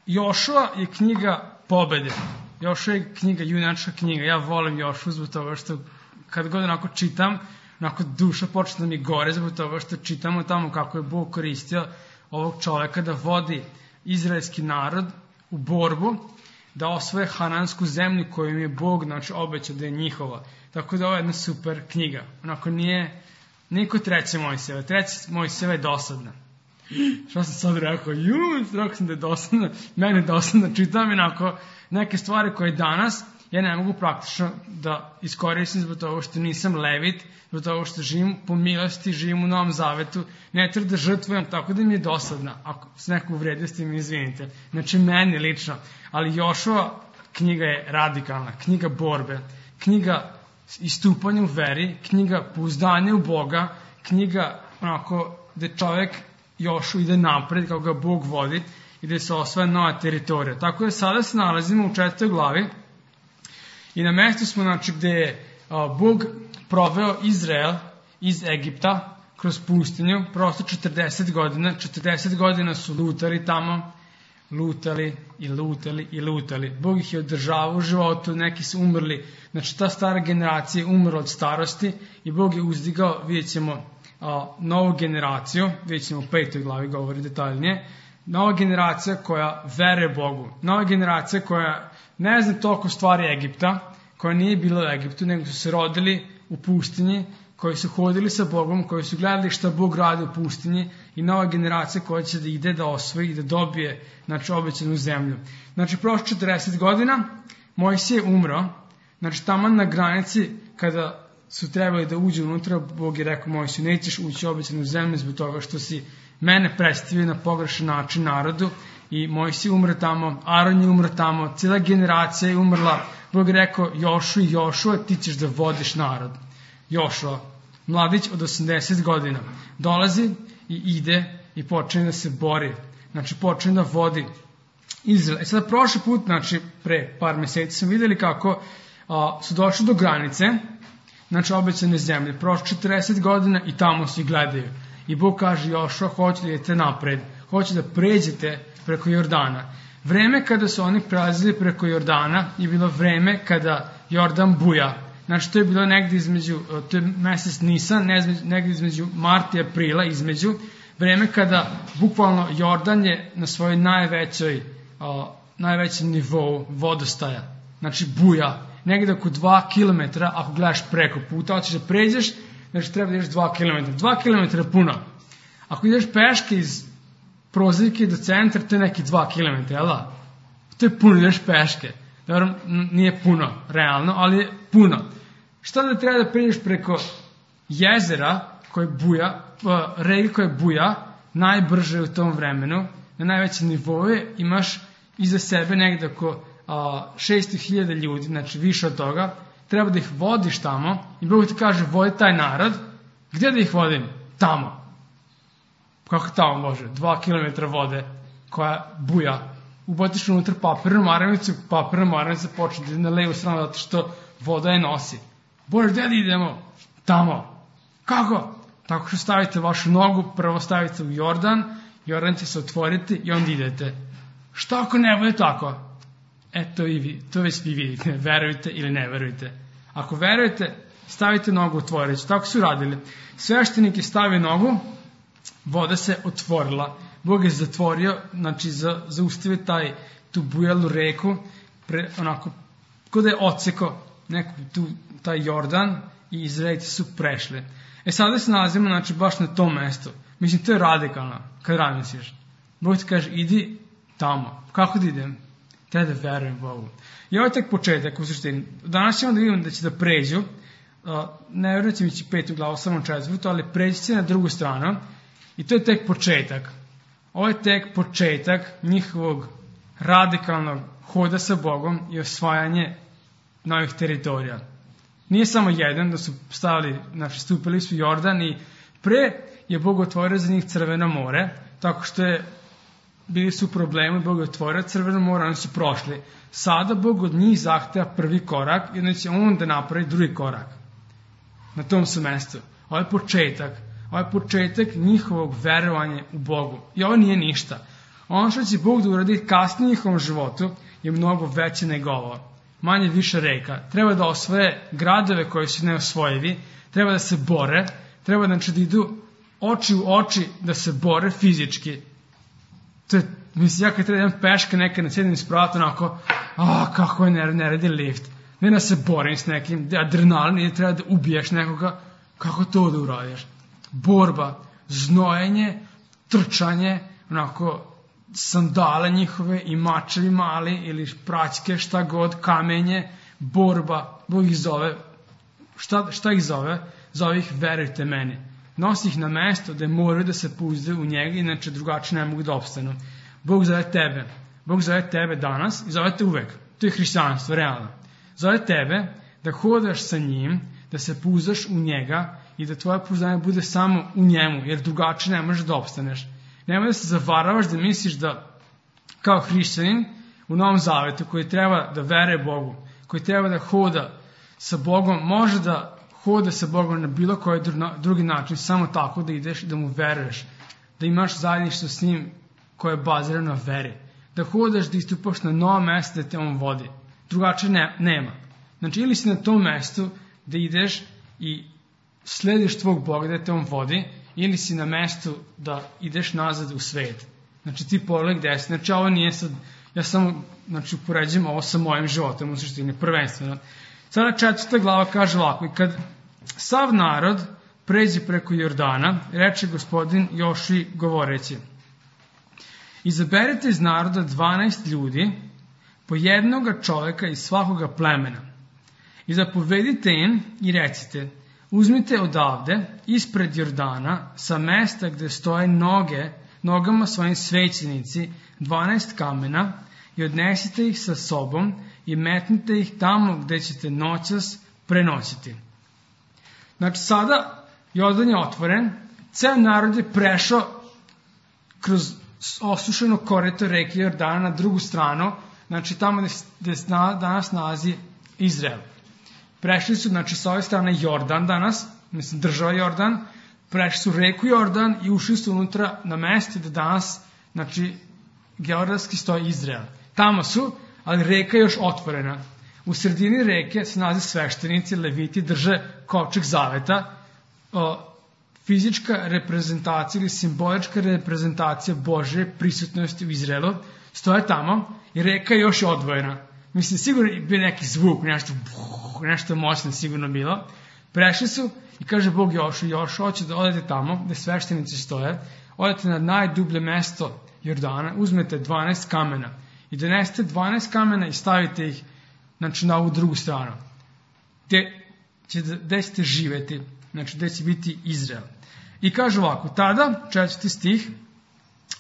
Jošua je knjiga pobede. Jošua je knjiga, junačka knjiga. Ja volim Jošua zbog toga što kad god onako čitam, onako duša počne da mi gore zbog toga što čitamo tamo kako je Bog koristio ovog čoveka da vodi izraelski narod u borbu, da osvoje hanansku zemlju koju im je Bog obećao da je njihova. Tako da ovo je jedna super knjiga. Onako nije niko treće Mojsijeva. Treće Mojsijeva je dosadna. Što sam sad rekao? Rekao sam da je dosadna. Mene je dosadna. Čitam onako neke stvari koje danas ja ne mogu praktično da iskoristim zbog toga što nisam levit, zbog toga što živim po milosti, živim u Novom Zavetu, ne treba da žrtvujem, tako da mi je dosadna. Ako se neko uvredio, ste mi izvinite. Znači, meni lično. Ali Jošua knjiga je radikalna, knjiga borbe, knjiga istupanja u veri, knjiga pouzdanja u Boga, knjiga onako gde čovek Jošu ide napred, kako ga Bog vodi i gde se osvaja nova teritorija. Tako da sada se nalazimo u 4. glavi i na mestu smo, znači, gde je Bog proveo Izrael iz Egipta kroz pustinju, prosto 40 godina. 40 godina su lutali tamo, lutali i lutali i lutali. Bog ih je održavao u životu, neki su umrli. Znači, ta stara generacija je umrla od starosti i Bog je uzdigao, vidjet ćemo, novu generaciju, vidjet ćemo u 5. glavi, govori detaljnije, nova generacija koja veruje Bogu, nova generacija koja ne zna toliko stvari Egipta, koja nije bila u Egiptu, nego su se rodili u pustinji, koji su hodili sa Bogom, koji su gledali šta Bog radi u pustinji i nova generacija koja će da ide da osvoji i da dobije, znači, obećanu zemlju. Znači, prošlo 40 godina, Mojsije je umro, znači, tamo na granici kada su trebali da uđu unutra, Bog je rekao Mojsiju, nećeš ući u obećanu zemlju zbog toga što si mene predstavio na pogrešan način narodu i Mojsije umre tamo, Aron je umre tamo, cijela generacija je umrla. Bog je rekao Jošua, ti ćeš da vodiš narod. Jošua, mladić od 80 godina, dolazi i ide i počne da se bori. Znači, počne da vodi Izrael. I sada prošli put, znači, pre par meseci smo videli kako su došli do granice, znači, obećane zemlje. Prošlo 40 godina i tamo svi gledaju. I Bog kaže Jošua, hoće da idete napred, hoće da pređete preko Jordana. Vreme kada su oni prelazili preko Jordana je bilo vreme kada Jordan buja. Znači, to je bilo negdje između, to je mesec Nisan, negdje između marta i aprila, između vreme kada bukvalno Jordan je na svojoj najvećem nivou vodostaja. Znači, buja. Negdje oko 2 km, ako gledaš preko puta, hoćeš da pređeš, znači treba da ideš 2 km. 2 km je puno. Ako ideš peške iz Prozivke do centra, to je neki 2 km, jel da? To je puno, ideš peške. Dobro, nije puno, realno, ali je puno. Šta da treba da pređeš preko jezera koje buja, reke koje buja, najbrže u tom vremenu, na najvećem nivou imaš iza sebe negde oko 600.000 ljudi, znači više od toga, treba da ih vodiš tamo i Bog ti kaže, vodi taj narod, gdje da ih vodim? Tamo. Kako tamo može? 2 km vode koja buja. Ubotiš unutra papirnu maramicu, papirna maramica počne da na levu stranu zato što voda je nosi. Bože, gdje da idemo? Tamo. Kako? Tako što stavite vašu nogu, prvo stavite u Jordan, Jordan će se otvoriti i onda idete. Šta ako ne bude tako? To već vi vidite, verujte ili ne verujte. Ako verujete, stavite nogu u otvoriću. Tako su radili. Sveštenik je stavio nogu, voda se otvorila. Bog je zatvorio, znači zaustavio tu bujalu reku, onako, kod da je odsekao taj Jordan i Izraelci su prešli. Sada se nalazimo, znači, baš na tom mestu. Mislim, to je radikalno, kad razmisliš. Bog ti kaže, idi tamo. Kako da idem? Treba da verujem Bogu. I ovo je tek početak, u suštini. Danas ćemo da vidimo da će da pređu, ne verujem da će ići 5. glavu, samo 4. ali pređi će na drugu stranu. I to je tek početak. Ovo je tek početak njihovog radikalnog hoda sa Bogom i osvajanje novih teritorija. Nije samo jedan da su stupili su Jordan i pre je Bog otvorio za njih Crveno more, tako što bili su problemi, Bog je otvorio Crveno more, oni su prošli. Sada Bog od njih zahteva prvi korak i onda će on da napravi drugi korak. Na tom su mestu. Ovo je početak. Ovo je početak njihovog verovanja u Bogu. I ovo nije ništa. Ono što će Bog da uradi kasnije u njihovom životu je mnogo veće nego ovo. Manje više reka. Treba da osvoje gradove koji su neosvojivi, treba da se bore, treba da idu oči u oči da se bore fizički. To je, mislim, ja kad treba jedan peška nekad na sjedim spratu, onako, kako je ne radi lift. Ne da se borim s nekim, adrenalin, ili treba da ubiješ nekoga, kako to da uradiš? Borba, znojenje, trčanje, onako, sandale njihove i mačevi mali ili praćke, šta god, kamenje, borba. Bog ih zove, šta ih zove? Zove ih verujte meni. Nosi ih na mesto da moraju da se pouzdaju u njega, inače drugačije ne mogu da opstanu. Bog zove tebe. Bog zove tebe danas i zove te uvek. To je hrišćanstvo, realno. Zove tebe da hodaš sa njim, da se pouzdaš u njega i da tvoje pouzdanje bude samo u njemu, jer drugačije ne možeš da opstaneš. Nemoj da se zavaravaš da misliš da kao hrišćanin u Novom Zavetu koji treba da veruje Bogu, koji treba da hoda sa Bogom, može da hoda sa Bogom na bilo koji drugi način, samo tako da ideš i da mu veruješ, da imaš zajedništvo s njim koje je bazirano na veri, da hodaš, da istupaš na novo mesto da te on vodi. Drugačije nema. Znači, ili si na tom mestu da ideš i slediš tvog Boga da te on vodi, ili si na mestu da ideš nazad u svet. Znači, ti pogledaj gde si. Znači, ovo nije sad, ja samo, upoređujem ovo sa mojim životom, u suštini, prvenstveno. Sada 4. glava kaže ovako: i kad sav narod pređe preko Jordana, reče Gospodin Jošiji govoreći: izaberite iz naroda 12 ljudi, po jednoga čoveka iz svakoga plemena, i zapovedite im i recite: uzmite odavde, ispred Jordana, sa mesta gde stoje nogama svojim svećenici, 12 kamena, i odnesite ih sa sobom i metnite ih tamo gde ćete noćas prenoćiti. Znači, sada Jordan je otvoren, ceo narod je prešao kroz osušeno korito reke Jordana na drugu stranu, znači tamo gde danas nalazi Izrael. Prešli su, znači, sa ove strane Jordan danas, mislim država Jordan, prešli su reku Jordan i ušli su unutra na mesto da danas, znači, geografski stoji Izrael. Tamo su, ali reka je još otvorena. U sredini reke se nalaze sveštenici, leviti, drže kovčeg zaveta, fizička reprezentacija ili simbolička reprezentacija Božje prisutnosti u Izraelu, stoje tamo i reka je još odvojena. Mislim, sigurno je bio neki zvuk, nešto moćno sigurno bilo. Prešli su i kaže Bog Jošu, hoće da odete tamo gde sveštenici stoje, odete na najdublje mesto Jordana, uzmete 12 kamena i donesete 12 kamena i stavite ih, znači, na ovu drugu stranu, gde ćete živeti, znači gde će biti Izrael. I kaže ovako: tada, 4. stih,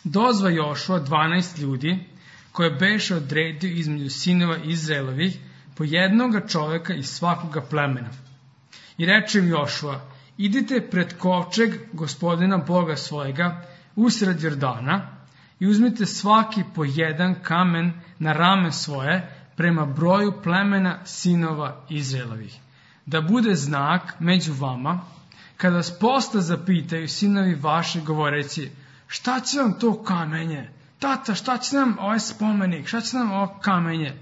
dozva Jošua 12 ljudi koje beše odredio između sinova Izraelovih, po jednoga čoveka iz svakoga plemena. I reče im Jošua: idite pred kovčeg Gospodina Boga svojega usred Jordana i uzmite svaki po jedan kamen na rame svoje prema broju plemena sinova Izraelovih, da bude znak među vama, kada vas posle zapitaju sinovi vaši govoreći: šta će vam to kamenje? Tata, šta će nam ovaj spomenik? Šta će nam ovo kamenje?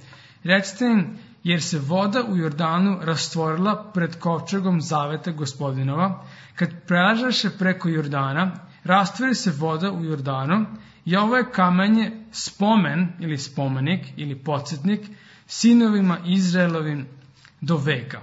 Recite im: jer se voda u Jordanu rastvorila pred kovčegom zaveta Gospodinova, kad prelažaše preko Jordana, rastvori se voda u Jordanu, i ovo je kamenje spomen ili spomenik ili podsjetnik sinovima Izraelovim do veka.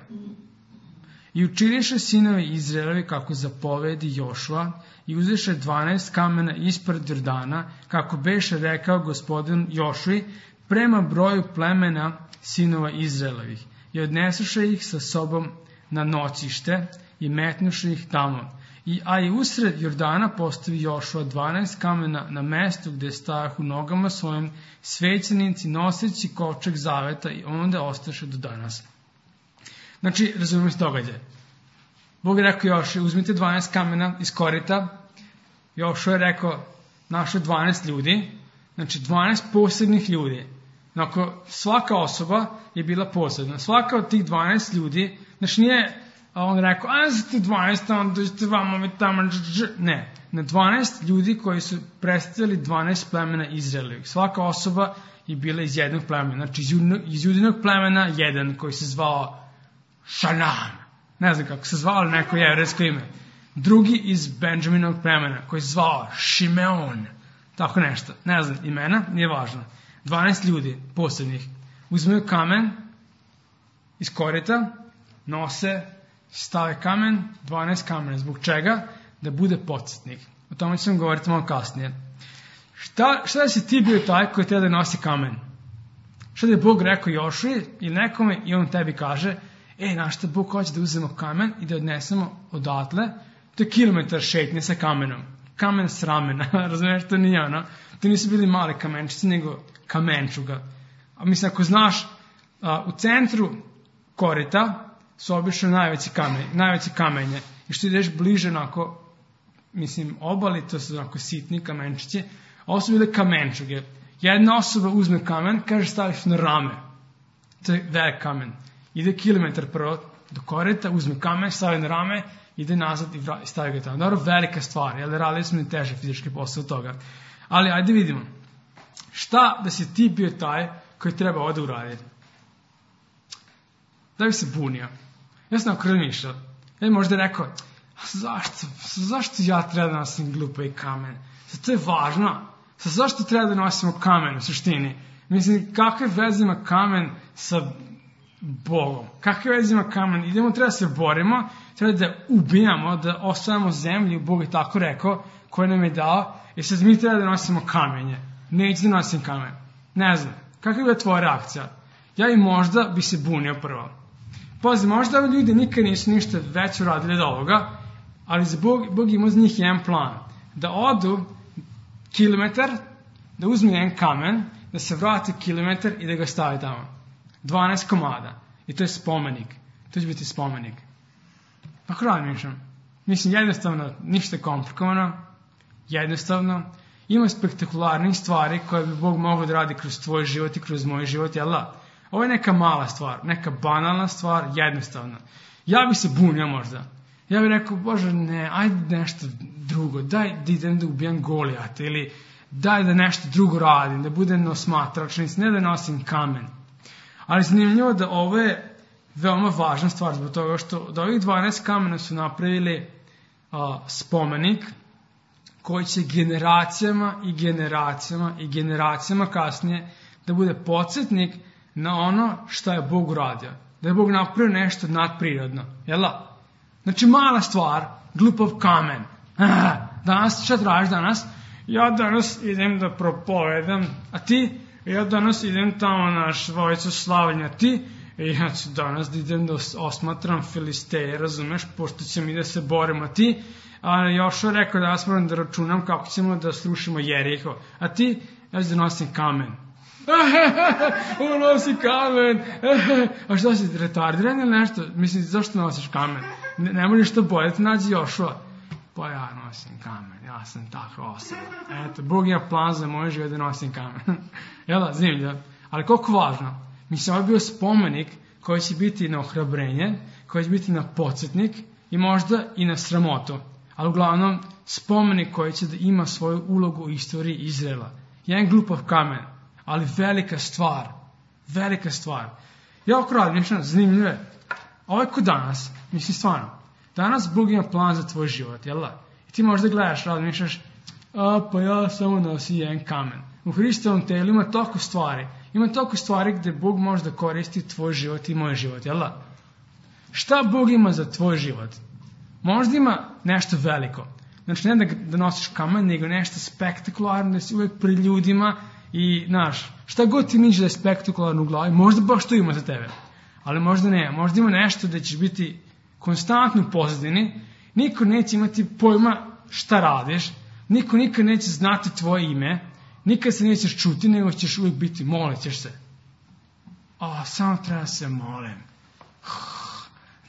I učiniše sinovi Izraelovi kako zapovedi Jošua i uzeše 12 kamena ispred Jordana, kako beše rekao Gospodin Jošui, prema broju plemena sinova Izraelovih, i odnesuše ih sa sobom na noćište i metnuše ih tamo. A i usred Jordana postavi Jošua 12 kamena na mestu gde stajahu nogama svojim svećenici noseći kovčeg zaveta, i onda ostaše do danas. Znači, razumemo se događaj. Bog je rekao Jošua: uzmite 12 kamena iz korita. Jošua je rekao: našao 12 ljudi, znači 12 posebnih ljudi. Znači, svaka osoba je bila posebna. Svaka od tih 12 ljudi, znači nije a on rekao, a za ti 12, onda dođete vamo mi tamo, ne, na 12 ljudi koji su predstavili 12 plemena Izraelovih. Svaka osoba je bila iz jednog plemena, znači iz Judinog plemena jedan koji se zvao Šanan, ne znam kako se zvao, ali neko jevrejsko ime. Drugi iz Benjaminovog plemena koji se zvao Šimeon, tako nešto, ne znam imena, nije važno. 12 ljudi posebnih uzmeju kamen iz korita, nose, stave kamen, 12 kamena. Zbog čega? Da bude podsjetnik. O tome ću vam govoriti malo kasnije. Šta da si ti bio taj koji treba da nosi kamen? Šta da je Bog rekao Jošuji ili nekome i on tebi kaže, znaš šta, Bog hoće da uzmemo kamen i da odnesemo odatle, to je kilometar šetnje sa kamenom. Kamen s ramena, razumiješ, to nije ono. To nisu bili mali kamenčici, nego kamenčuga. A mislim, ako znaš, u centru korita su obično najveće kamenje. I što ideš bliže onako, mislim, obali, to su onako sitni kamenčići, ovo su bile kamenčuge. Jedna osoba uzme kamen, kaže staviš na rame. To je velik kamen. Ide kilometar prvo do korita, uzme kamen, stavi na rame, ide nazad i stavi ga tamo. Dobro, velika stvar, jer radili smo i teže fizički posao od toga. Ali, ajde vidimo. Šta da si ti bio taj koji treba ovdje uraditi? Da bi se bunio. Ja sam ako razmišljao. Ja bi možda rekao, zašto ja treba da nosim glupi kamen? To je važno. Zašto treba da nosimo kamen u suštini? Mislim, kakve veze ima kamen sa Bogom? Kakve veze ima kamen? Idemo, treba se borimo, treba da ubijamo, da osvajamo zemlju, Bog je tako rekao, koji nam je dao, i sad mi treba da nosimo kamenje. Neću da nosim kamen. Ne znam. Kakva je tvoja reakcija? Ja i možda bi se bunio prvo. Pazi, možda ovi ljudi nikad nisu ništa već uradili od ovoga, ali Bog ima za njih jedan plan. Da odu kilometar, da uzme jedan kamen, da se vrati kilometar i da ga stavi tamo. 12 komada. I to je spomenik. To će biti spomenik. Ako razmišljam. Mislim, jednostavno, ništa komplikovano. Jednostavno. Ima spektakularnih stvari koje bi Bog mogao da radi kroz tvoj život i kroz moj život, jel da? Ovo je neka mala stvar, neka banalna stvar, jednostavna. Ja bi se bunio možda. Ja bih rekao, Bože, ne, ajde nešto drugo, daj da idem da ubijam Golijata, ili daj da nešto drugo radim, da budem osmatrač, ne da nosim kamen. Ali zanimljivo da ovo je veoma važna stvar, zbog toga što od ovih 12 kamena su napravili spomenik, koji će generacijama i generacijama i generacijama kasnije da bude podsjetnik na ono što je Bog uradio. Da je Bog napravio nešto nadprirodno. Jel da? Znači mala stvar, glupav kamen. Danas, šta tražiš danas? Ja danas idem da propovedam, a ti? Ja danas idem tamo na Švojicu slavljenja, ti? I ja ću danas da idem da osmatram Filisteje, razumeš, pošto će mi da se borimo, a ti? A Jošua rekao da ja moram da računam kako ćemo da srušimo Jeriho. A ti? Ja ću da nosim kamen. On nosi kamen. A što si, retardiran ili nešto? Mislim, zašto nosiš kamen? Ne možeš to bojati, nađi Jošua. Pa ja nosim kamen, ja sam takva osoba. Eto, Bog ima plan za moj život da nosim kamen. Jel da, zanimljivo. Ali koliko važno? Mislim, ovo je bio spomenik koji će biti na ohrabrenje, koji će biti na podsjetnik i možda i na sramotu. Ali uglavnom, spomenik koji će da ima svoju ulogu u istoriji Izraela. Jedan glupav kamen, ali velika stvar. Velika stvar. Ja oko razmišljam, zanimljivo je. Ovo je kod danas, mislim stvarno. Danas Bog ima plan za tvoj život, jel da? I ti možda gledaš, razmišljaš, pa ja samo nosim jedan kamen. U Hristovom telu ima toliko stvari. Ima toliko stvari gde Bog može da koristi tvoj život i moj život, jel da? Šta Bog ima za tvoj život? Možda ima nešto veliko. Znači, ne da nosiš kamen, nego nešto spektakularno, da si uvek pri ljudima i, znaš, šta god ti misliš da je spektakularno u glavi, možda baš to ima za tebe. Ali možda ne. Možda ima nešto da ćeš biti konstantno u pozadini, niko neće imati pojma šta radiš, niko nikad neće znati tvoje ime, nikad se nećeš čuti, nego ćeš uvijek biti, molit ćeš se. Samo treba se molim.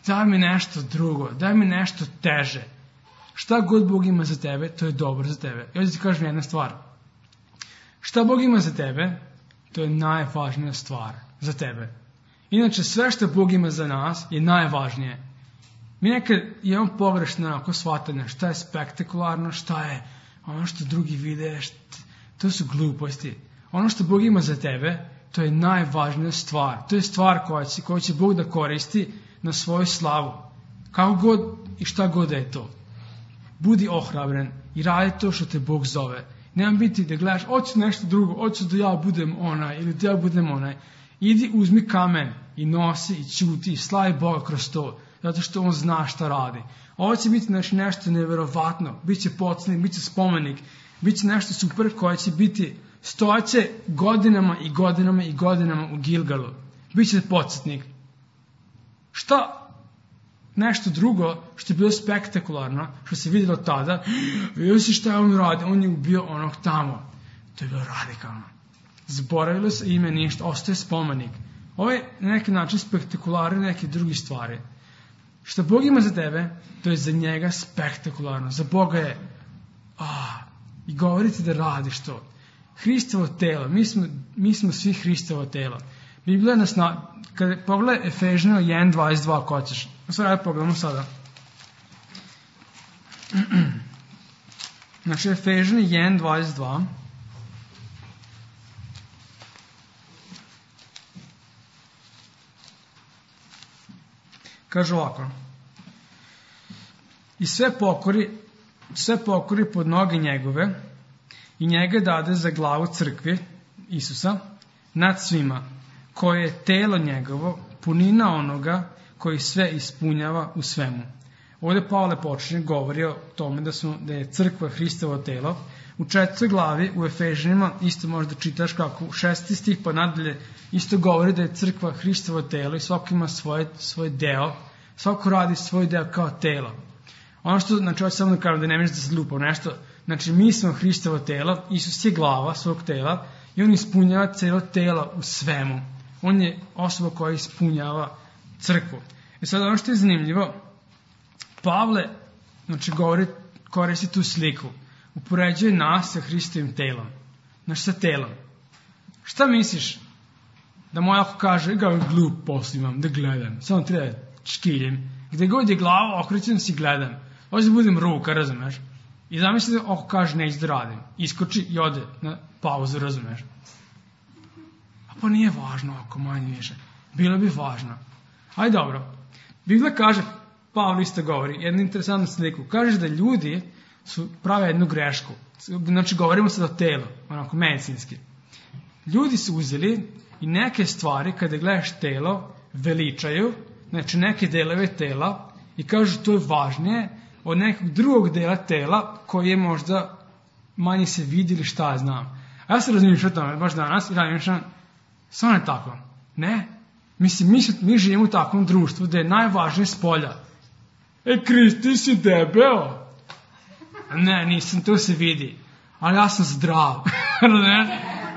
Daj mi nešto drugo, daj mi nešto teže. Šta god Bog ima za tebe, to je dobro za tebe. I ovdje ti kažem jedna stvar. Šta Bog ima za tebe, to je najvažnija stvar za tebe. Inače, sve što Bog ima za nas je najvažnije. Mi nekad imamo pogrešno onako shvatanje šta je spektakularno, šta je ono što drugi vide, to su gluposti. Ono što Bog ima za tebe, to je najvažnija stvar. To je stvar koju će Bog da koristi na svoju slavu. Kako god i šta god da je to. Budi ohrabren i radi to što te Bog zove. Nemam biti da gledaš, hoću nešto drugo, hoću da ja budem onaj ili da ja budem onaj. Idi, uzmi kamen i nosi i ćuti i slavi Boga kroz to, zato što On zna šta radi. Ovo će biti nešto neverovatno, bit će podsjetnik, bit će spomenik, bit će nešto super koje će biti stojaće godinama i godinama i godinama u Gilgalu. Biće podsjetnik. Šta? Nešto drugo što je bilo spektakularno, što se vidjelo tada, vidio si šta je on radi, on je ubio onog tamo. To je bilo radikalno. Zaboravilo se ime ništa, ostaje spomenik. Ovo je na neki način spektakularno neke drugi stvari. Što Bog ima za tebe, to je za njega spektakularno. Za Boga je i govorite da radiš to. Hristovo telo, mi smo svi Hristovo telo. Biblija nas, kada pogledaj Efežano 1.22, ko ćeš. Sada pogledamo sada. Znači Efežano 1.22. Kaže ovako. I sve pokori pod noge njegove i njega dade za glavu crkvi Isusa nad svima, koje je telo njegovo, punina onoga koji sve ispunjava u svemu. Ovdje Pavle počinje govori o tome da je crkva Hristovo telo. U 4. glavi u Efežanima isto možda čitaš kako u 6. stih pa nadalje isto govori da je crkva Hristovo telo i svako ima svoj deo, svako radi svoj deo kao telo. Ono što, znači, hoće samo da kažem da ne možeš da se lupa nešto, znači mi smo Hristovo telo, Isus je glava svog tela i on ispunjava celo telo u svemu. On je osoba koja ispunjava crkvu. I sad ono što je zanimljivo, Pavle, znači, koristi tu sliku, upoređuje nas sa Hristovim telom, znači sa telom. Šta misliš? Da moj ako kaže, glup posl imam, da gledam, samo treba škiljem, gde god je glava, okrećem si gledam, ovdje da budem ruka, razumeš? I zamisli da ako kaže neću da radim, iskoči i ode na pauzu, razumeš? A pa nije važno ako manje više, bilo bi važno. Ajde dobro, Biblija kaže, Pavle isto govori, jednu interesantnu sliku, kaže da ljudi prave jednu grešku, znači govorimo sad o telu, onako medicinski. Ljudi su uzeli i neke stvari, kada gledaš telo, veličaju, znači neke delove tela i kažu to je važnije od nekog drugog dela tela koji je možda manje se vidi ili šta znam. A ja se razmišljam o tome baš danas i razmišljam, samo ne tako. Ne, mi živimo u takvom društvu da je najvažnije spolja. Krist, ti si debeo. Ne, nisam, to se vidi. Ali ja sam zdrav. Razumeš?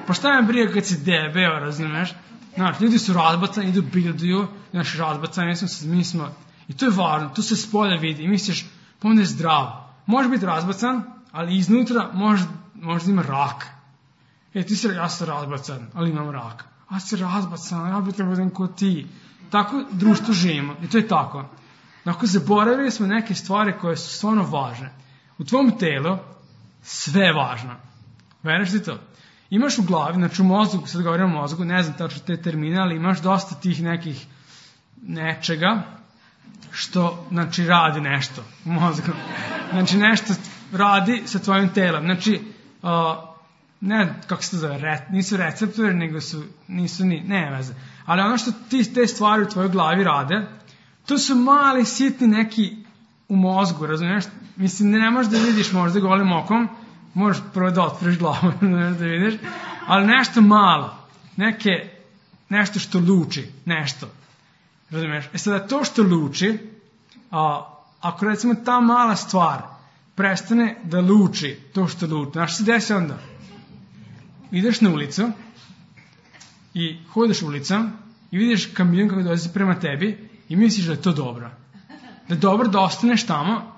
Pa šta me briga kad si debeo, razumeš? Znači, ljudi su razbacani, idu bilduju, znači razbacani, mi smo, i to je važno, to se s polja vidi, i misliš, pa on je zdrav. Može biti razbacan, ali iznutra možda ima rak. Ja sam razbacan, ali imam rak. A si razbacan, ja bih trebao da ko ti. Tako društvo živimo, i to je tako. Dakle, zaboravili smo neke stvari koje su stvarno važne. U tvom telu sve je važno. Veriš ti to? Imaš u glavi, znači u mozgu, sad govorim o mozgu, ne znam tačno te termine, ali imaš dosta tih nekih nečega što, znači, radi nešto u mozgu. Znači, nešto radi sa tvojim telom. Znači, ne, kako se to zove, nisu receptori, nego ne veze. Ali ono što te stvari u tvojoj glavi rade, to su mali, sitni neki u mozgu, razumiješ? Mislim, ne možeš da vidiš možda golim okom, možeš prvo da otvoriš glavu, da vidiš, ali nešto malo, nešto što luči, nešto, razumiješ? Sada to što luči, ako recimo ta mala stvar prestane da luči to što luči, znaš što se desi onda? Ideš na ulicu i hodeš ulicom i vidiš kamion koji dolazi prema tebi i misliš da je to dobro. Da je dobro da ostaneš tamo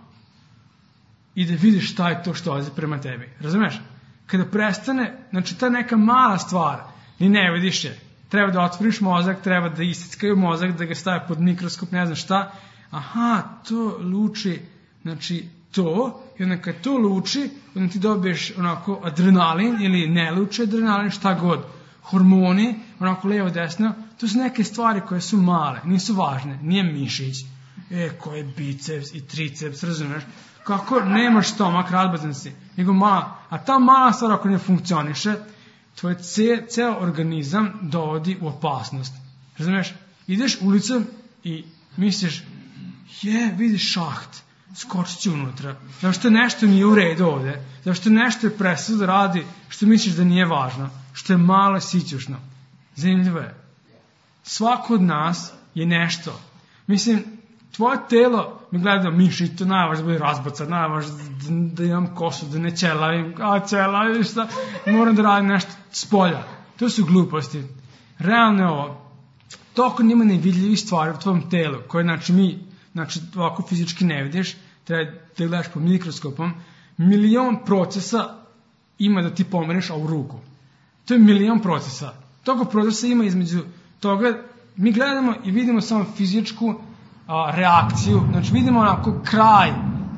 i da vidiš šta je to što dolazi prema tebi. Razumeš? Kada prestane, znači ta neka mala stvar, ni ne vidiš je. Treba da otvoriš mozak, treba da istickaju mozak, da ga stave pod mikroskop, ne znam šta, aha, to luči, znači to, i onda kad to luči, onda ti dobiješ onako adrenalin ili ne luči adrenalin, šta god, hormoni, onako levo desno, to su neke stvari koje su male, nisu važne, nije mišić, koji je biceps i triceps, razumeš, kako nemaš stomak, razbazan si, nego mala, a ta mala stvar ako ne funkcioniše, tvoj ceo organizam dovodi u opasnost, razumeš, ideš ulicom i misliš, vidiš šaht, skočit ću unutra, zato što nešto nije u redu ovde, zato što nešto je prestao da radi što misliš da nije važno, što je malo sićušno. Zanimljivo je. Svako od nas je nešto. Mislim, tvoje telo, mi gledamo mišić, to najvažno da bude razbacan, najvažno da imam kosu, da ne ćelavim, ćelavim, šta, moram da radim nešto s polja. To su gluposti. Realno je ovo. Toliko nima nevidljivih stvari u tvojom telu, koje znači ovako fizički ne vidiš, treba da gledaš pod mikroskopom, 1.000.000 procesa ima da ti pomeriš ovu ruku. To je 1.000.000 procesa. Toliko procesa ima između toga, mi gledamo i vidimo samo fizičku reakciju, znači vidimo onako kraj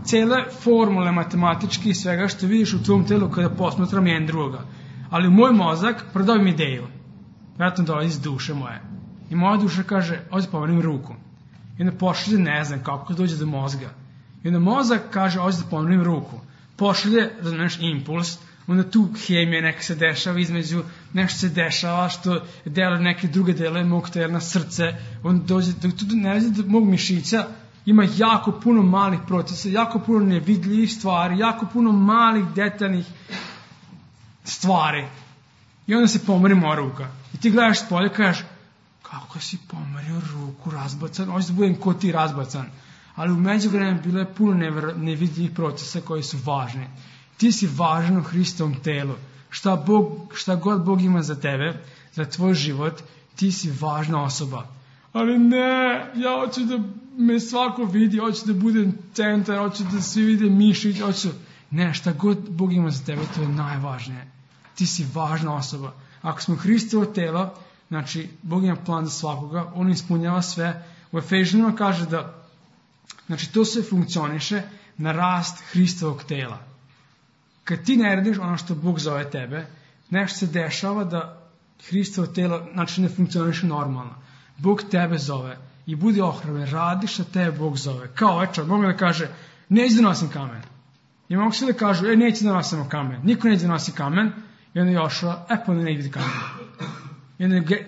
cele formule matematičke i svega što vidiš u tvom telu kada posmatram jedan drugoga. Ali u moj mozak prodao mi ideju. Vjerojatno dolazi iz duše moje. I moja duša kaže, ovdje pomerim ruku. I onda pošalje, ne znam kako dođe do mozga. I onda mozak kaže, ovdje da pomerim ruku. Pošalje, razumiješ, impuls, onda tu hemija neka se dešava između, nešto se dešava što deluje neke druge delove mog tela, srce, onda dođe, tu ne razi do mog mišića, ima jako puno malih procesa, jako puno nevidljivih stvari, jako puno malih detaljnih stvari. I onda se pomeri moja ruka. I ti gledaš s polja i kažeš, kako si pomerio ruku, razbacan, hoće da budem ko ti razbacan. Ali u međuvremenu bilo je puno nevidljivih procesa koji su važni. Ti si važan u Hristovom telu. Šta god Bog ima za tebe, za tvoj život, ti si važna osoba. Ali ne, ja hoću da me svako vidi, hoću da budem centar, hoću da svi vide mišić, hoću... Ne, šta god Bog ima za tebe, to je najvažnije. Ti si važna osoba. Ako smo Hristovo telo, znači, Bog ima plan za svakoga, on ispunjava sve. U Efežanima kaže da, znači, to sve funkcioniše na rast Hristovog tela. Kad ti ne radiš ono što Bog zove tebe, nešto se dešava da Hristovo telo, znači, ne funkcioniše normalno. Bog tebe zove i budi ohrabren, radi što tebe Bog zove. Kao ovaj čovjek, mogu da kaže, neću da nosim kamen. I mogu svi da kažu, neću da nosimo kamen. Niko neće da nosi kamen. I onda Jošua, pa ne biti kamen.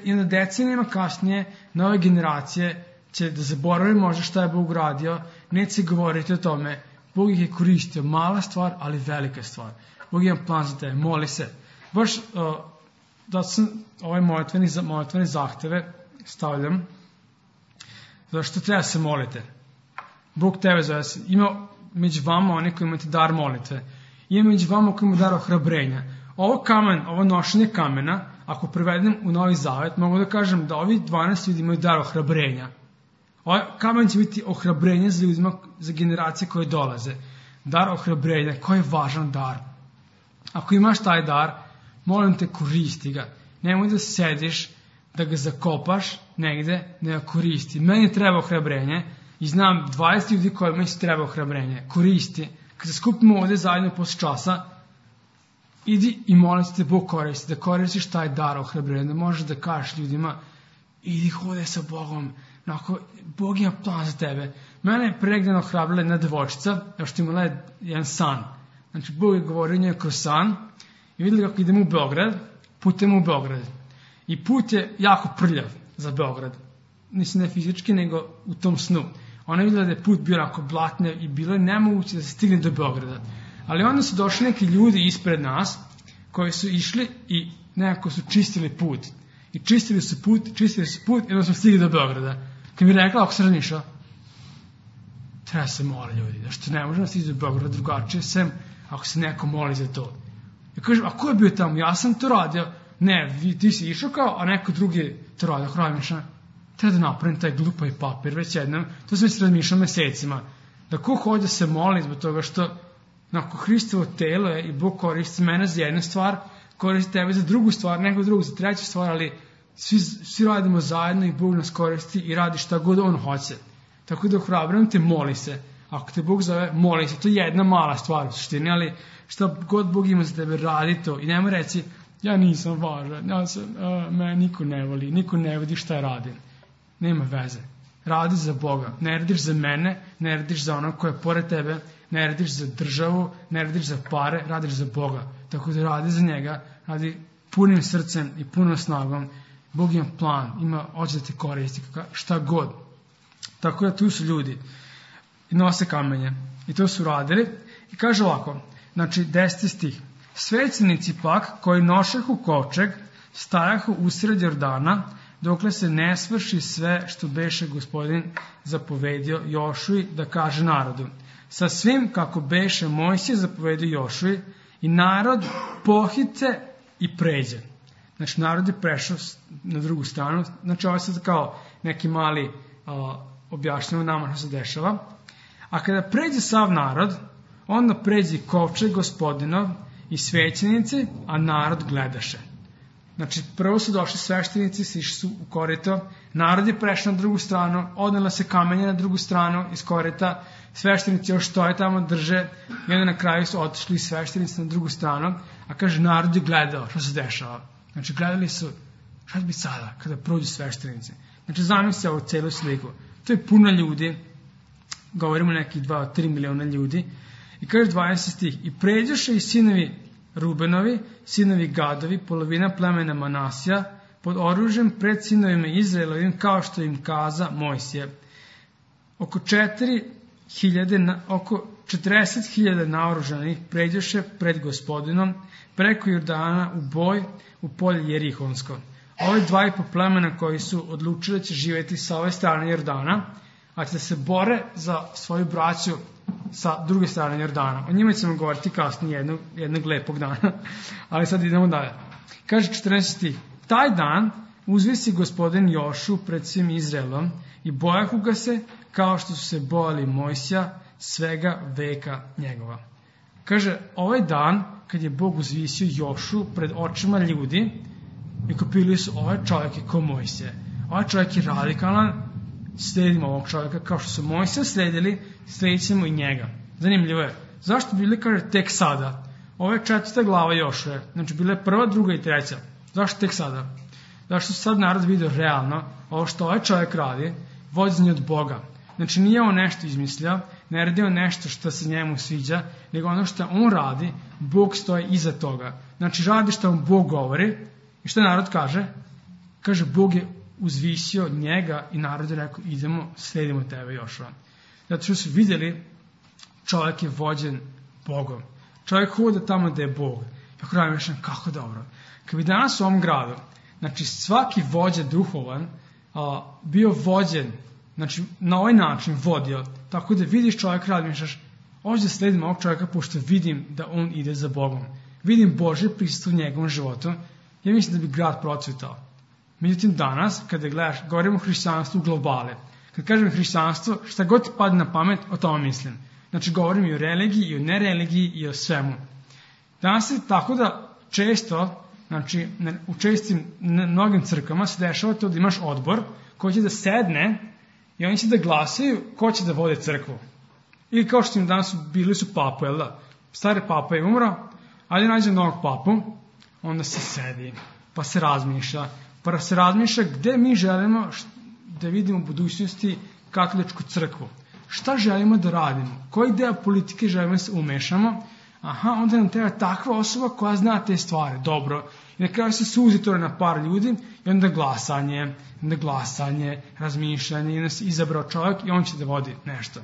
I onda decenijama kasnije, nove generacije će da zaboravi možda šta je Bog radio, neće se govoriti o tome. Bog ih je koristio, mala stvar, ali velika stvar. Bog ima plan za tebe, moli se. Baš da sam ove molitvene zahteve stavljam, zato što treba se molite. Bog tebe zove se. Ima među vama oni koji imate dar molitve. Ima među vama koji imate dar ohrabrenja. Ovo nošenje kamena, ako prevedem u Novi Zavet, mogu da kažem da ovi 12 ljudi imaju dar ohrabrenja. Ovaj kamen će biti ohrabrenje za ljudima, za generacije koje dolaze. Dar ohrabrenja, koji je važan dar. Ako imaš taj dar, molim te, koristi ga. Nemoj da sediš, da ga zakopaš negde, ne ga koristi. Meni treba ohrabrenje i znam 20 ljudi kojima se treba ohrabrenje. Koristi. Kad se skupimo ovde zajedno posle časa, idi i molim te Bog koristi, da koristiš taj dar ohrabrenja, da možeš da kažeš ljudima, idi hode sa Bogom, Bog ima plan za tebe. Mene je pregledano ohrabrila jedna devojčica, što imala jedan san. Znači, Bog je govorio njoj kroz san i vidjeli kako idemo u Beograd, putujemo u Beograd. I put je jako prljav za Beograd. Nisam ne fizički, nego u tom snu. Ona je vidjela da je put bio onako blatne i bilo je nemoguće da se stigne do Beograda. Ali onda su došli neki ljudi ispred nas koji su išli i nekako su čistili put. I čistili su put i onda smo stigli do Beograda. Kad mi je rekla, ako se razmišljao, treba se moli ljudi, da što ne možemo stići do Beograda drugačije, sem ako se neko moli za to. Ja kažem, a ko je bio tamo? Ja sam to radio. Ne, ti si išao kao, a neko drugi to radio. Ako razmišljam, treba da napravim taj glupavi papir već jednom. To sam već razmišljao mesecima. Da ko hoće se moli zbog toga što nakon Hristovo telo je i Bog koristi mene za jednu stvar, koristi tebe za drugu stvar, neko drugu za treću stvar, ali svi radimo zajedno i Bog nas koristi i radi šta god on hoće. Tako da ohrabrujem te, moli se. Ako te Bog zove, moli se. To je jedna mala stvar u suštini, ali šta god Bog ima za tebe, radi to. I nemoj reći, ja nisam važan, me niko ne voli, niko ne vidi šta radim. Nema veze. Radi za Boga. Ne radiš za mene, ne radiš za onog koja je pored tebe, ne radiš za državu, ne radiš za pare, radiš za Boga. Tako da radi za njega, radi punim srcem i punom snagom. Bog ima plan, hoće da te koristi, šta god. Tako da tu su ljudi i nose kamenje. I to su radili. I kaže ovako, znači 10. stih. Svećenici pak koji nošahu kovčeg stajahu usred Jordana, dokle se ne svrši sve što beše Gospodin zapovedio Jošuji da kaže narodu. Sa svim kako beše Mojsije zapovedio Jošuji, i narod pohite i pređe. Znači narod je prešao na drugu stranu. Znači ovo je sad kao neki mali objašnjava nama što se dešava. A kada pređe sav narod, onda pređe kovčeg Gospodinov i svećenici, a narod gledaše. Znači, prvo su došli sveštenici, sišli su u korito, narod je prešao na drugu stranu, odnela se kamenje na drugu stranu iz korita, sveštenici još stoje tamo, drže, i onda na kraju su otišli sveštenici na drugu stranu, a kaže, narod je gledao što se dešava. Znači, gledali su, šta će biti sada, kada prođu sveštenici. Znači, zamisli ovu celu sliku. To je puno ljudi, govorimo nekih 2-3 miliona ljudi, i kaže 20 stih, i pređoše i sinovi Rubenovi, sinovi Gadovi, polovina plemena Manasija, pod oružjem pred sinovima Izraelovim, kao što im kaza Mojsije. Oko 40.000 naoružanih pređoše pred Gospodinom, preko Jordana u boj u polje Jerihonsko. Ove 2,5 plemena koji su odlučili da će živjeti sa ove strane Jordana, a će da se bore za svoju braću sa druge strane Jordana. O njima ćemo govoriti kasnije jednog lepog dana, ali sad idemo dalje. Kaže 14. Taj dan uzvisi Gospodin Jošu pred svim Izraelom i bojahu ga se kao što su se bojali Mojsija svega veka njegova. Kaže, ovaj dan kad je Bog uzvisio Jošu pred očima ljudi i kopili su, ovaj čovjek je ko Mojsije. Ovaj čovjek je radikalan, sledimo ovog čovjeka kao što su Mojsija sledili, sledit ćemo i njega. Zanimljivo je. Zašto bili, kaže, tek sada? Ovo je 4. glava Jošuje. Znači, bila je 1., 2. i 3. Zašto tek sada? Zašto sad narod vidio realno ovo što ovaj čovjek radi, vođenje od Boga. Znači, nije on nešto izmislio, ne radi on nešto što se njemu sviđa, nego ono što on radi, Bog stoji iza toga. Znači, radi što mu Bog govori i što narod kaže? Kaže, Bog je uzvisio njega i narod je rekao, idemo, sledimo tebe Jošua. Zato što su vidjeli, čovjek je vođen Bogom. Čovjek hoda tamo gde je Bog. Kako radim rešen, kako dobro. Kad bi danas u ovom gradu, znači svaki vođa duhovan bio vođen, znači na ovaj način vodio, tako da vidiš čovjek radi, mišljaš, ovdje sledim ovog čovjeka pošto vidim da on ide za Bogom. Vidim Božje prisustvo u njegovom životu, ja mislim da bi grad procvetao. Međutim, danas, kada gledaš, govorimo o hrišćanstvu globale. Kad kažem hrišćanstvo, šta god ti padne na pamet, o tome mislim. Znači, govorim i o religiji, i o nereligiji, i o svemu. Danas je tako da često, znači, u čestim mnogim crkvama se dešava to da imaš odbor koji će da sedne i oni će da glasaju ko će da vode crkvu. Ili kao što im danas bili su papu, jel da? Stari papa je umro, ali nađe novog papu, onda se sedi, pa se razmišlja, gde mi želimo da vidimo u budućnosti katoličku crkvu. Šta želimo da radimo? Koji deo politike želimo da se umešamo? Onda nam treba takva osoba koja zna te stvari. Dobro. I na kraju se suzi to na par ljudi i onda glasanje, razmišljanje, i onda se izabrao čovjek i on će da vodi nešto.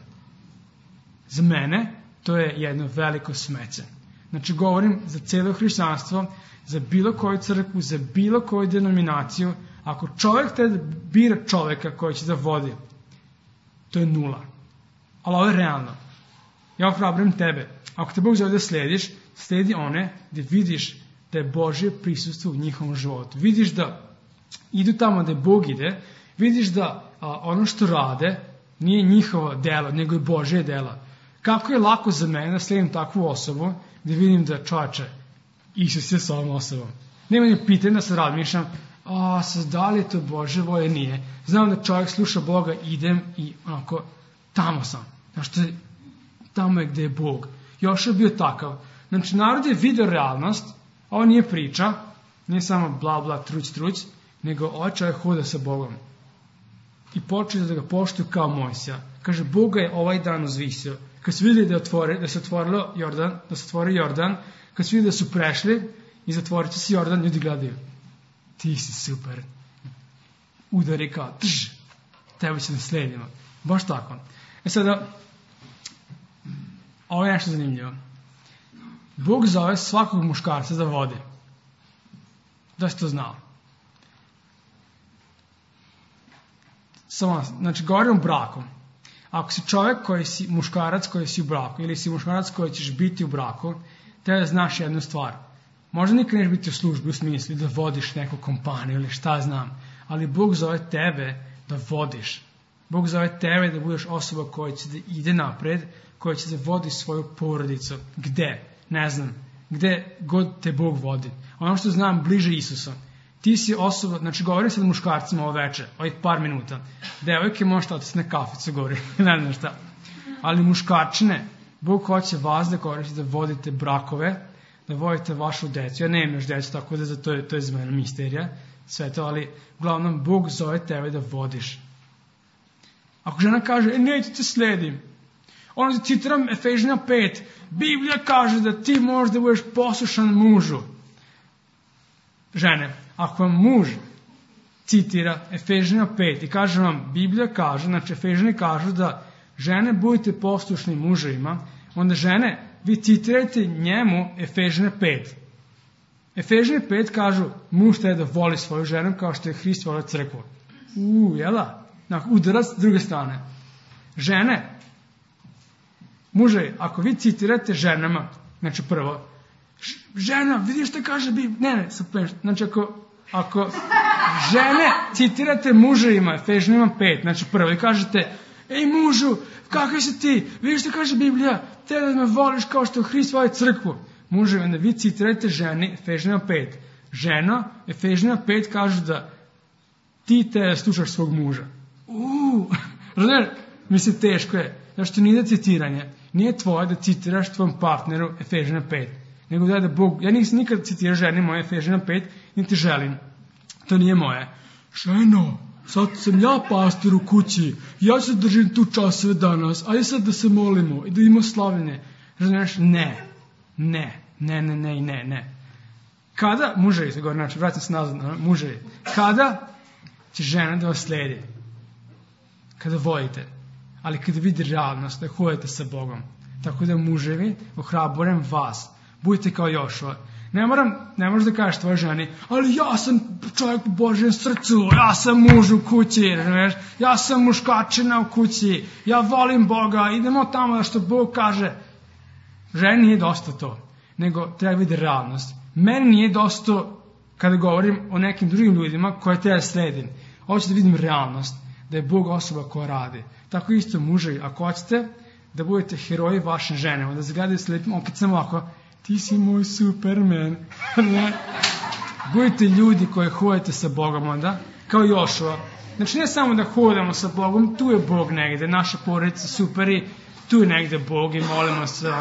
Za mene to je jedno veliko smeće. Znači govorim za cijelo hrišćanstvo, za bilo koju crkvu, za bilo koju denominaciju. Ako čovjek te bira čovjeka koji će da vodi, to je nula. Ali ovo je realno. Ja ohrabrujem tebe. Ako te Bog zove da slediš, sledi one gde vidiš da je Božje prisustvo u njihovom životu. Vidiš da idu tamo gde Bog ide, vidiš da ono što rade nije njihovo delo, nego je Božje delo. Kako je lako za mene da sledim takvu osobu, da vidim da čovječe, Isus je s ovom osobom. Nema ni pitanja da se razmišljam, da li je to Bože volje, nije. Znam da čovjek sluša Boga, idem i onako, tamo sam. Znači, tamo je gde je Bog. Još je bio takav. Znači, narod je video realnost, ovo nije priča, nije samo bla bla, truć, nego ovaj čovjek hoda sa Bogom. I počeo da ga poštuju kao Mojsija. Kaže, Boga je ovaj dan uzvisio. Kad su vidjeli da se otvorio Jordan, kad su vidjeli da su prešli i zatvorit će se Jordan, ljudi gledaju. Ti si super. Udari kao, tebe će da sledimo. Baš tako. Sada, ovo je nešto zanimljivo. Bog zove svakog muškarca da vodi. Da si to znao. Znači, govorim o braku. Ako si čovjek muškarac koji si u braku, ili si muškarac koji ćeš biti u braku, treba da znaš jednu stvar. Možda nikad neš biti u službi u smislu da vodiš neku kompaniju ili šta znam, ali Bog zove tebe da vodiš. Bog zove tebe da budeš osoba koja će da ide napred, koja će da vodi svoju porodicu. Gde? Ne znam. Gde god te Bog vodi. Ono što znam, bliže Isusa. Ti si osoba, znači govorim sad muškarcima ovo večer, ovih par minuta. Devojke možete otići na kaficu, govorim, ne znam šta. Ali muškarčine, Bog hoće vas da koristite da vodite brakove, da vodite vašu decu. Ja nemam još decu, tako da to je za mene misterija, sve to, ali uglavnom Bog zove tebe da vodiš. Ako žena kaže, neću te sledim, onda citiram Efežina 5, Biblija kaže da ti možeš da budeš poslušan mužu. Žene, ako vam muž citira Efežina 5 i kaže vam, Biblija kaže, znači Efežini kažu da žene budete poslušni muževima, onda žene, vi citirajte njemu Efežina 5. Efežini 5 kažu, muž treba da voli svoju ženu kao što je Hrist volio crkvu. Jela? Udarac s druge strane. Žene, muževi, ako vi citirate ženama, znači prvo, žena, vidiš što kaže Biblija, znači ako žene citirate muževima, Efežnima 5, znači prvo, i kažete, ej mužu, kakav si ti, vidiš što kaže Biblija, te da me voliš kao što Hrist voli crkvu. Muževi, onda vi citirate ženi, Efežnima 5. Žena, Efežnima 5 kažu da ti te slušaš svog muža. Razumiješ? Mislim, teško je. Znači, to nije citiranje. Nije tvoje da citiraš tvom partneru Efežina 5. Nego da Bog... Ja nisam nikad citirao ženi moje Efežina 5, niti želim. To nije moje. Ženo, sad sam ja pastor u kući. Ja se držim tu časove danas. Ajde sad da se molimo i da imamo slavljenje. Razumiješ? Ne. Kada, muževi se govori, znači, vratim se nazad, muževi. Kada će žena da vas sledi? Kada volite. Ali kada vidi realnost, da hodite sa Bogom. Tako da muževi, ohrabrujem vas. Budite kao Jošua. Ne možeš da kažeš tvojoj ženi, ali ja sam čovjek u Božjem srcu, ja sam muž u kući, ja sam muškačina u kući, ja volim Boga, idemo tamo da što Bog kaže. Ženi nije dosta to, nego treba vidi realnost. Meni nije dosta kada govorim o nekim drugim ljudima koje treba sledim. Hoću da vidim realnost, da je Bog osoba koja radi. Tako isto muževi, ako hoćete da budete heroji vaše žene, onda zagledaju s lepim okicama ovako, ti si moj Superman. Budite ljudi koji hodite sa Bogom onda, kao Jošua. Znači ne samo da hodamo sa Bogom, tu je Bog negde, naša porodica superi, tu je negde Bog i molimo se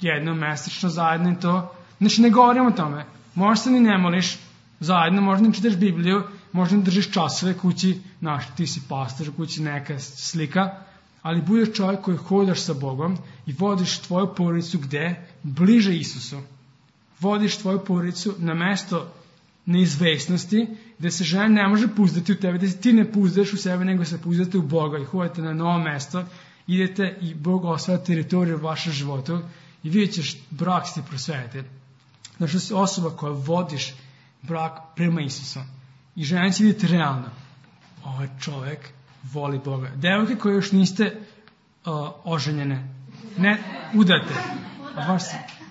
jednom mesečno zajedno i to. Znači ne govorimo o tome. Možda se ni ne moliš zajedno, možda ne čitaš Bibliju, možda ne držiš časove kući, ti si pastor u kući, neka slika, ali budeš čovjek koji hodaš sa Bogom i vodiš tvoju porodicu gde? Bliže Isusu. Vodiš tvoju porodicu na mesto neizvesnosti, gde se žena ne može puzdati u tebe, gde ti ne puzdaš u sebe, nego se puzdate u Boga i hodite na novo mesto, idete i Bog osvaja teritoriju u vašem životu i vidjet ćeš brak se prosvetiti. Znači si osoba koja vodiš brak prema Isusu. I žena će vidjeti realno. Ovaj čovjek voli Boga. Devojke koje još niste oženjene, ne udate.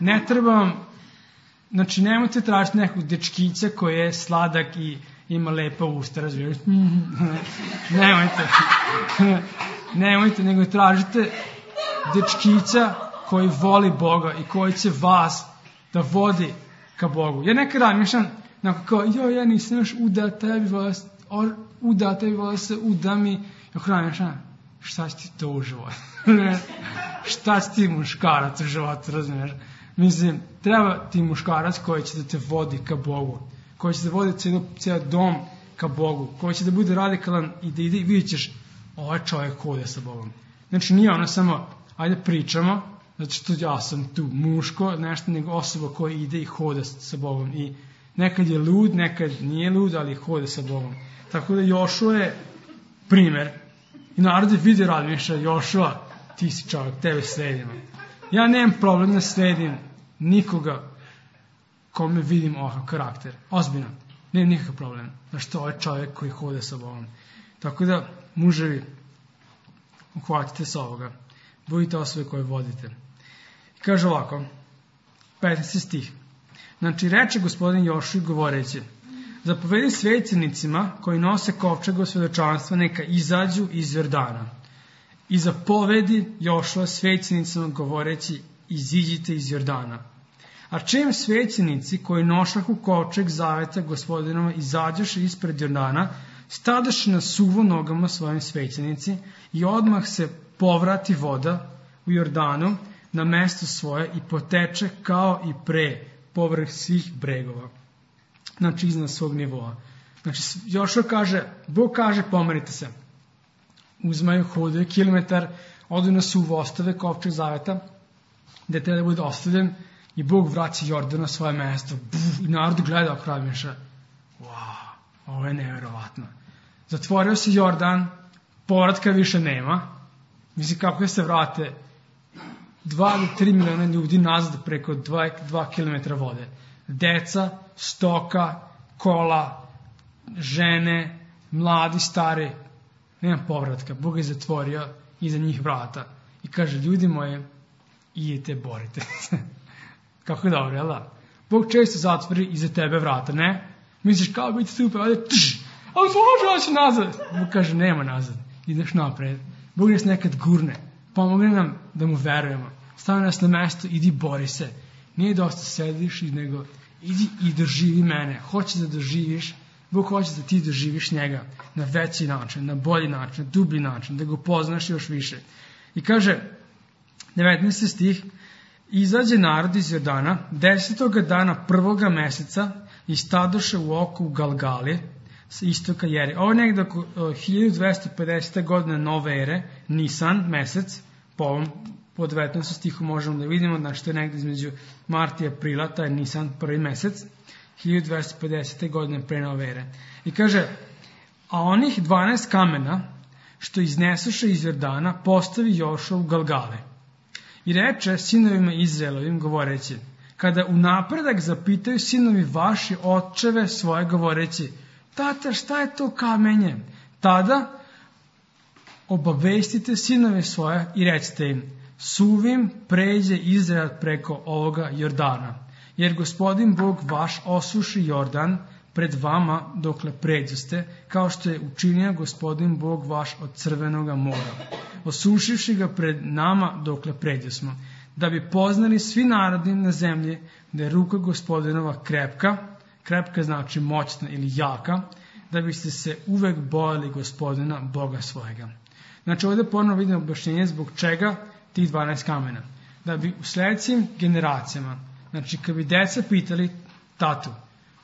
Ne treba vam, znači nemojte tražiti nekog dečkića koji je sladak i ima lepa usta, razviješ. Nemojte, nego tražite dečkića koji voli Boga i koji će vas da vodi ka Bogu. Ja nekad razmišljam, Nakon kao, ja nisam još uda tebi vola se uda mi. Šta će ti to u životu? Šta će ti muškarac u životu, razumiješ? Mislim, treba ti muškarac koji će da te vodi ka Bogu, koji će da vodi cijel dom ka Bogu, koji će da bude radikalan i da ide i vidjet ćeš, ovaj čovjek hoda sa Bogom. Znači nije ono samo, ajde pričamo, zato što ja sam tu muško, nešto, nego osoba koja ide i hoda sa Bogom. I nekad je lud, nekad nije lud, ali hoda sa Bogom. Tako da Jošua je primer. I narod je vidio razmišlja, Jošua, ti si čovjek, tebe sledimo. Ja nemam problem da sledim nikoga kome vidim ovakav karakter. Ozbiljno. Nemam nikakav problem. Zašto ovo je čovjek koji hoda sa Bogom. Tako da, muževi, uhvatite se ovoga. Budite osobe koje vodite. I kaže ovako, 15. stih. Znači, reče gospodin Jošui govoreći, zapovedi svećenicima koji nose kovčeg svedočanstva neka izađu iz Jordana. I zapovedi Jošua svećenicima govoreći, iziđite iz Jordana. A čim svećenici koji nošahu kovčeg zaveta gospodinova izađoše ispred Jordana, stadoše na suvo nogama svojim svećenici i odmah se povrati voda u Jordanu na mesto svoje i poteče kao i pre povrh svih bregova. Znači iznad svog nivoa. Znači Jošua kaže, Bog kaže pomerite se. Uzmaju, hodaju kilometar, odu na suvo, ostave kovčeg zaveta, gde treba da bude ostavljen i Bog vraća Jordan na svoje mesto. I narod gleda oko razmišlja, wow, ovo je neverovatno. Zatvorio se Jordan, povratka više nema. Mislim kako se vrate 2 do 3 miliona ljudi nazad preko 2 kilometra vode. Deca, stoka, kola, žene, mladi, stari, nema povratka. Bog je zatvorio iza njih vrata. I kaže, ljudi moji, idite, borite. Kako je dobro, jel da? Bog često zatvori iza tebe vrata, ne? Misliš, kao biti super, ali može oći nazad. Bog kaže, nema nazad, ideš napred. Bog nas nekad gurne, pomogne nam da mu verujemo. Stavi nas na mesto, idi bori se. Nije dosta sediš, nego idi i doživi mene. Hoće da doživiš, Bog hoće da ti doživiš njega na veći način, na bolji način, na dublji način, da ga upoznaš još više. I kaže, 19. stih, izađe narod iz Jordana 10. dana 1. meseca i stadoše u oku Galgali sa istoka Jeri. Ovo je negdje oko 1250. godine nove ere, Nisan mesec, po 19. stihu možemo da vidimo, znači to je negdje između marta i aprila, taj je Nisan prvi mesec, 1250. godine pre nove ere. I kaže, a onih 12 kamena što iznesuše iz Jordana postavi Jošua u Galgale. I reče sinovima Izraelovim govoreći, kada u napredak zapitaju sinovi vaši očeve svoje govoreći, tata, šta je to kamenje? Tada obavestite sinove svoje i recite im, suvim pređe Izrael preko ovoga Jordana, jer gospodin Bog vaš osuši Jordan pred vama dokle pređoste, kao što je učinio gospodin Bog vaš od Crvenoga mora, osušivši ga pred nama dokle pređosmo, da bi poznali svi narodi na zemlji da je ruka gospodinova krepka, krepka znači moćna ili jaka, da biste se uvek bojali gospodina Boga svojega. Znači ovdje ponovno vidimo objašnjenje zbog čega tih 12 kamena. Da bi u sljedećim generacijama, znači kad bi deca pitali tatu,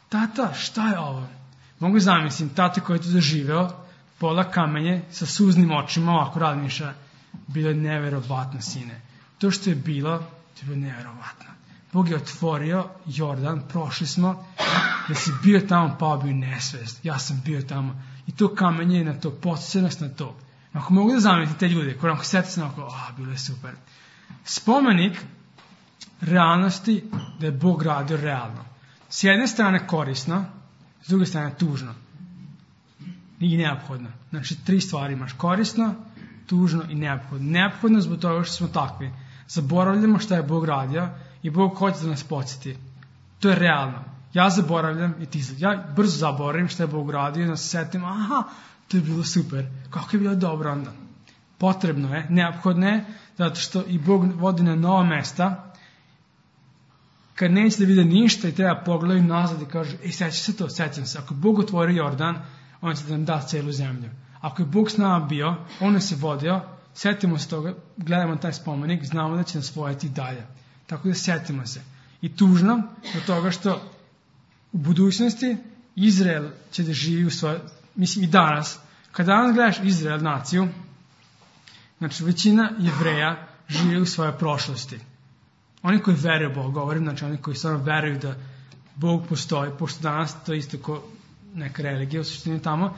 tata, šta je ovo? Mogu zamislim, tata koji je to doživeo, pola kamenje sa suznim očima, ovako razmišlja, bilo je neverovatno, sine. To što je bilo, to je bilo neverovatno. Bog je otvorio Jordan, prošli smo, da si bio tamo, pao bio nesvest. Ja sam bio tamo. I to kamenje je na to, podsjeća nas na to. Ako mogu da zamislite te ljude, koji nam sjeti se onako, bilo je super. Spomenik realnosti da je Bog radio realno. S jedne strane korisno, s druge strane tužno. I neophodno. Znači 3 stvari imaš, korisno, tužno i neophodno. Neophodno zbog toga što smo takvi. Zaboravljamo šta je Bog radio i Bog hoće da nas podsjeti. To je realno. Ja zaboravljam i ti ja brzo zaboravim šta je Bog radio i da se setim, to je bilo super. Kako je bilo dobro onda? Potrebno je, neophodno je, zato što i Bog vodi na nova mesta kad neće da vide ništa i treba pogledaju nazad i kaže, seća se to, sećam se. Ako Bog otvori Jordan, on će da nam da celu zemlju. Ako je Bog s nama bio, on nas je vodio, setimo se toga, gledamo taj spomenik, znamo da će nas voditi dalje. Tako da setimo se. I tužno do toga što u budućnosti Izrael će da živi u svojoj, mislim i danas, kada danas gledaš Izrael naciju, znači većina Jevreja živi u svojoj prošlosti. Oni koji veruju Bog, govorim, znači oni koji stvarno veruju da Bog postoji, pošto danas to je isto kao neka religija u suštini tamo,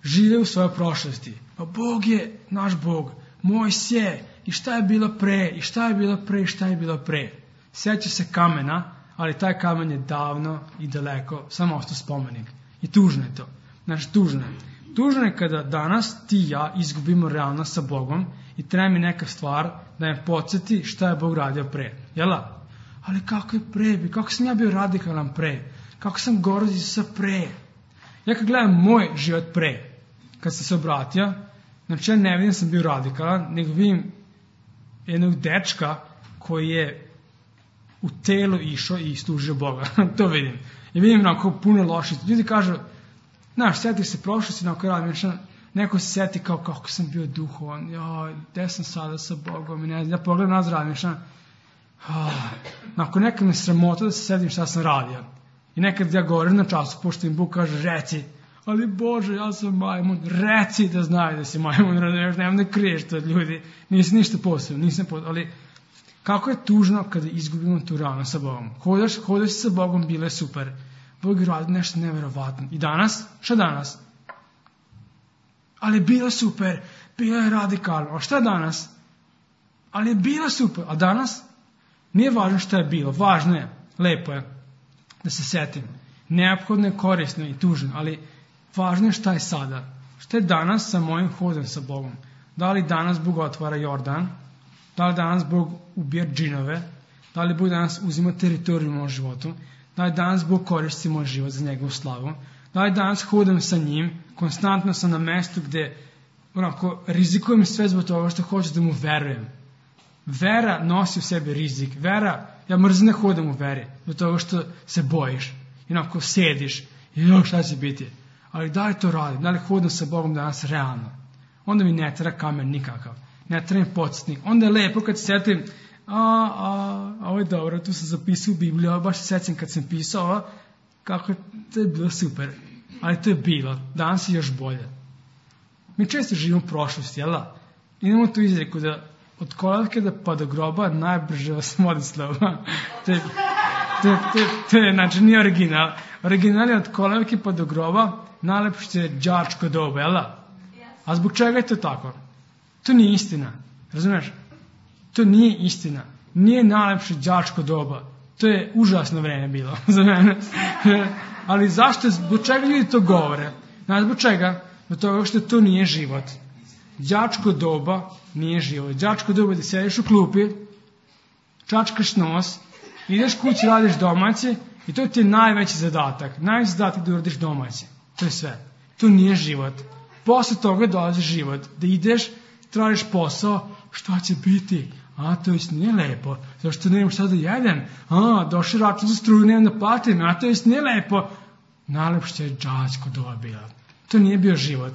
žive u svojoj prošlosti. Pa Bog je naš Bog, Mojsije, i šta je bilo pre, i šta je bilo pre, i šta je bilo pre. Sjeća se kamena, ali taj kamen je davno i daleko, samo ostao spomenik. I tužno je to. Znači, tužno je. Tužno je kada danas ti i ja izgubimo realnost sa Bogom i treba mi neka stvar da me podsjeti šta je Bog radio pre. Jela? Ali kako je pre? Kako sam ja bio radikalan pre? Kako sam govorio za Isusa pre? Ja kad gledam moj život pre, kad sam se obratio, znači ja ne vidim da sam bio radikalan, nego vidim jednog dečka koji je u telu išao i služio Boga. To vidim. I vidim onako puno loših. Ljudi kažu, znaš, sjetiš se prošlosti, onako radim, neko se sjeti kao kako sam bio duhovan, joj, gde sam sada sa Bogom, i ne znam, ja pogledam nazad radim, nakon nekad me sramota da se sedim šta sam radio. I nekad ja govorim na času, pošto im Bog kaže, reci, ali Bože, ja sam majmun, reci da znaju da si majmun, nemam da kriješ to od ljudi, nisi ništa posebno, ali kako je tužno kada izgubimo tu ranu sa Bogom. Hodaš sa Bogom, bile super, Bog je radi nešto neverovatno. I danas? Šta danas? Ali je bilo super, bilo je radikalno. A šta danas? Ali je bilo super. A danas? Nije važno šta je bilo. Važno je, lepo je, da se setim. Neophodno je, korisno i tužno, ali važno je šta je sada. Šta je danas sa mojim hodom sa Bogom? Da li danas Bog otvara Jordan? Da li danas Bog ubija džinove? Da li Bog danas uzima teritoriju u mojom životu? Da li danas Bog koristi moj život za njegovu slavu? Da li danas hodam sa njim, konstantno sam na mestu gde onako rizikujem sve zbog toga što hoću da mu verujem. Vera nosi u sebi rizik. Vera, ja mrzim da hodam u veri, zbog toga što se bojiš. I onako sediš i šta će biti. Ali da li to radim? Da li hodam sa Bogom danas realno? Onda mi ne treba kamen nikakav. Ne treba mi podsjetnik. Onda je lepo kad se setim, ovo je dobro, tu sam zapisao u Bibliju, baš se sećam kad sam pisao, kako to je bilo super. Ali to je bilo. Danas je još bolje. Mi često živimo u prošlosti, jel da? Imamo tu izreku da od kolevke pa do groba najbrže vas vodi slova. To je, znači, nije original. Original je od kolevke pa do groba najlepše je đačko doba, jel da? A zbog čega je to tako? To nije istina. Razumeš? To nije istina. Nije najlepše đačko doba. To je užasno vreme bilo za mene. Ali zašto, zbog čega ljudi to govore? Znaš zbog čega? Zbog toga što to nije život. Đačko doba nije život. Đačko doba da sediš u klupi, čačkaš nos, ideš kući, radiš domaći i to ti je najveći zadatak. Najveći zadatak da uradiš domaći. To je sve. To nije život. Posle toga dolazi život. Da ideš, tražiš posao, šta će biti? To jest nije lepo. Zašto nemam šta da jedem? Došli račun za struju, nemam da platim. To jest nije lepo. Najlepše je đačko doba bila. To nije bio život.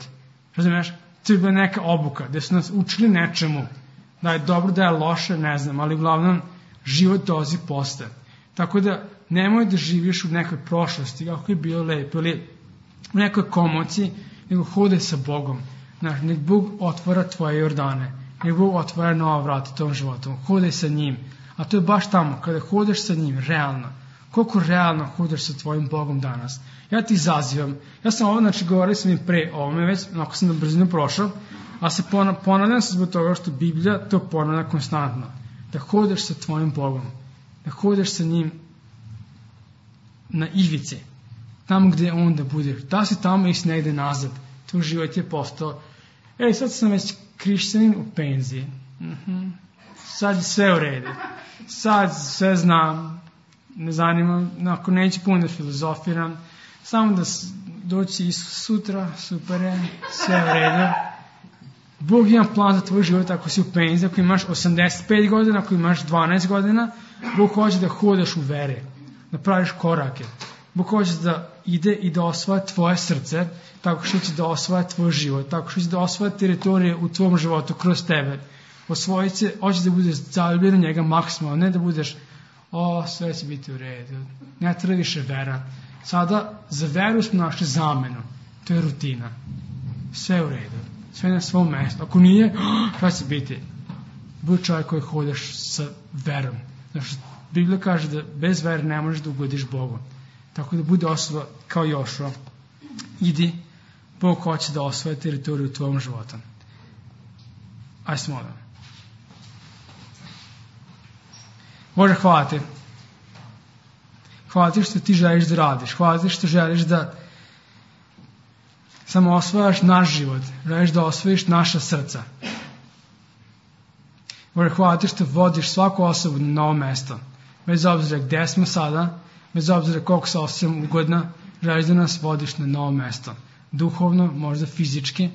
Razumiješ? To je bila neka obuka, gde su nas učili nečemu. Da je dobro, da je loše, ne znam, ali uglavnom život dolazi posle. Tako da nemoj da živiš u nekoj prošlosti, kako je bilo lepo, ili u nekoj komociji, nego hodaj sa Bogom. Znaš, nek Bog otvara tvoje Jordane, nek Bog otvara nova vrata tom životom, hodaj sa njim. A to je baš tamo, kada hodaš sa njim, realno. Koliko realno hodaš sa tvojim Bogom danas? Ja ti izazivam. Ja sam ovo, znači, govorio sam i pre ovome već, ako sam na brzinu prošao, a se ponavljam se zbog toga što Biblija to ponavlja konstantno. Da hodaš sa tvojim Bogom, da hodaš sa njim na ivici, tamo gde on da budeš. Da si tamo i si negde nazad. Tvoj život je postao, sad sam već hrišćanin u penziji. Sad je sve u redu. Sad sve znam. Ne zanima, ako neću puno da filozofiram, samo da doći sutra, super je, sve u redu. Bog ima plan za tvoj život ako si u penziji, ako imaš 85 godina, ako imaš 12 godina, Bog hoće da hodaš u vere, da praviš korake. Bog hoće da ide i da osvaja tvoje srce, tako što će da osvaja tvoj život, tako što će da osvaja teritorije u tvom životu kroz tebe. Osvojit se, hoće da budeš zaljubljen njega maksimalno, ne da budeš, sve će biti u redu, ne treba više vera. Sada za veru smo našli zamenu, to je rutina. Sve u redu, sve na svom mjestu. Ako nije, šta će biti? Budi čovjek koji hodaš sa verom. Znači, Biblija kaže da bez vere ne možeš da ugodiš Bogu. Tako da bude osoba kao Jošua. Idi, Bog hoće da osvoje teritoriju u tvojom životu. Ajde se molim. Bože, hvala ti. Hvala ti što ti želiš da radiš. Hvala ti što želiš da samo osvojaš naš život. Želiš da osvojiš naša srca. Bože, hvala ti što vodiš svaku osobu na novo mesto. Bez obzira gde smo sada, bez obzira koliko se osjećam ugodna, želiš da nas vodiš na novo mesto. Duhovno, možda fizički,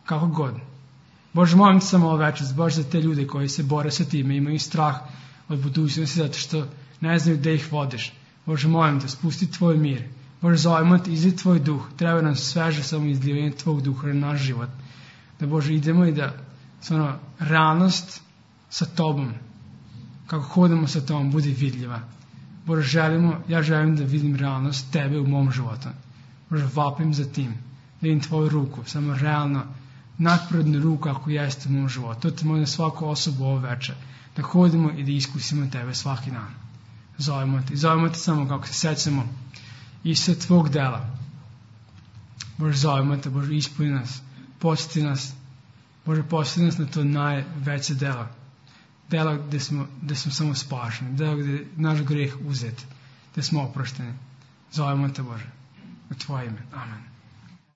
kako god. Bože, molim te samo ovo večer, baš za te ljude koji se bore sa time, imaju strah od budućnosti zato što ne znaju gde ih vodiš. Bože, molim te, spusti tvoj mir. Bože, zovemo te, izli tvoj duh. Treba nam sveže samo izljevanje tvog duha na naš život. Da, Bože, idemo i da realnost sa tobom, kako hodamo sa tobom, bude vidljiva. Bože, ja želim da vidim realnost tebe u mom životu. Bože, vapim za tim, da vidim tvoju ruku, samo realno, nadprirodnu ruku ako jeste u mom životu. To te molim na svaku osobu ovo večer, da hodimo i da iskusimo tebe svaki dan. Zovemo te samo kako se sećamo i sve tvog dela. Bože, zovemo te, Bože, ispuni nas, posjeti nas, Bože, posjeti nas na to najveće delo. Delo gde smo samo spašeni, delo gde je naš greh uzet, gde smo oprošteni. Zovemo te, Bože, u tvoje ime. Amen.